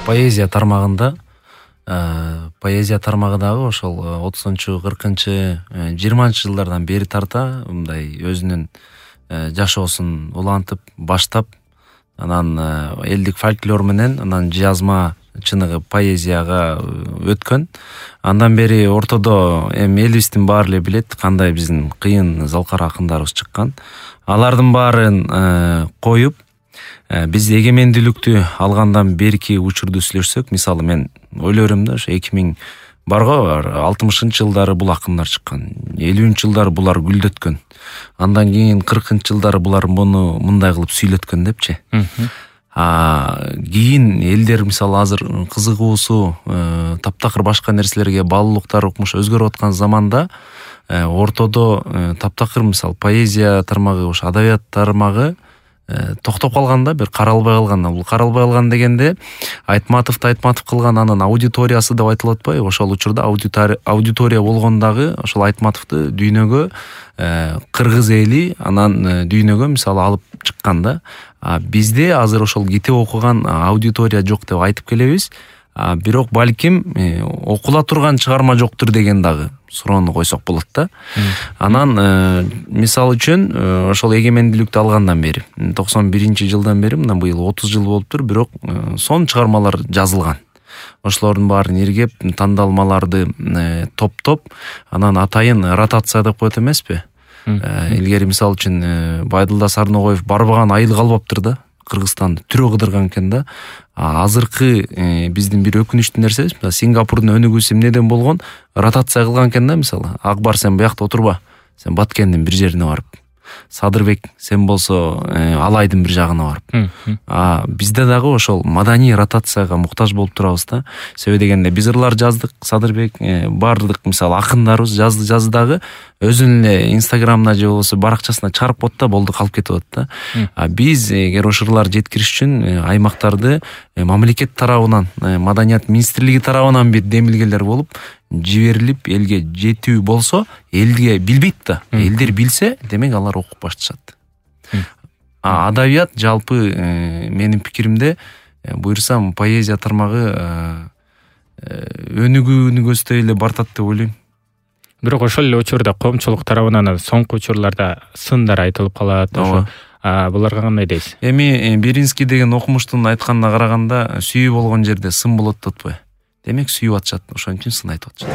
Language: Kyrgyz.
Поэзия тармагында поэзия тармагы дагы ошол 30-40-20 жылдардан бери тарта мындай өзүнүн жашоосун улантып баштап, анан элдик фольклор менен анан жазма чыныгы поэзияга өткөн. Андан бери ортодо эми элибиздин баары эле билет кандай биздин кыйын залкар акындарыбыз чыккан. Алардын баарын коюп биз эгемендүүлүктү алгандан берки учурду сүйлөшсөк, мисалы мен ойлойм да, ошо 2000 барго 60-жылдары бул акындар чыккан, 50-жылдары булар гүлдөткөн, андан кийин 40-жылдары булар муну мындай кылып сүйлөткөн депчи. Кийин элдер мисалы азыр кызыгуусу таптакыр башка нерселерге баалуулуктар укмуш өзгөрүп аткан заманда ортодо таптакыр мисалы поэзия тармагы, ошо адабият тармагы токтоп калганда, бир каралбай калган. Бул каралбай калган дегенде Айтматовду кылган анын аудиториясы деп айтылып атпайбы? Ошол учурда аудитория болгондагы ошол Айтматовду дүйнөгө кыргыз эли анан дүйнөгө мисалы алып чыккан да. Бизде азыр ошол китеп окуган аудитория жок деп айтып келебиз. Бирок балким окула турган чыгарма жоктур деген дагы суроону койсок болот да. Анан мисалы үчүн ошол эгемендүүлүктү алгандан бери 91-жылдан бери мына быйыл 30 жыл болуптур, бирок сон чыгармалар жазылган. Ошолордун баарын иргеп, тандалмаларды топтоп, анан атайын ротация деп коет эмеспи? Илгери мисалы үчүн Байдылда Сарногоев барбаган айыл калбаптыр да. Кыргызстанды түрө кыдырган экен да. Азыркы биздин бир өкүнүчтүү нерсебиз, Сингапурдун өнүгүүсү эмнеден болгон? Ротация кылган экен да, мисалы. Акбар, сен буякта отурба. Сен Баткендин бир жерине барып. Садырбек, сен болсо Алайдын бир жагына барып. Бизде дагы ошол маданий ротацияга муктаж болуп турабыз да. Себеби дегенде биз ырлар жаздык, Садырбек баардык мисалы акындарыбыз жазды дагы өзүнүн эле Инстаграмына же болбосо баракчасына чыгарып коет да, болду, калып кетип атат да. Биз эгер ошол ырлар жеткириш үчүн аймактарды мамлекет тарабынан, маданият министрлиги тарабынан бир демилгелер болуп жиберилип элге жетүү болсо, элге билбейт да. Элдер билсе, демек алар окуп башташат. Адабият жалпы менин пикиримде буйрсам поэзия тармагы өнүгүүнү көздөй эле бартат деп ойлойм. Бирок ошол эле учурда коомчулук тарабынан соңку учурларда сындар айтылып калат. Ошо буларга кандай дейсиз? Эми Беринский деген окумуштун айтканына караганда, сүйүү болгон жерде сын болот деп атпайбы? Демек сүйүп атышат, ошон үчүн сын айтып атышат.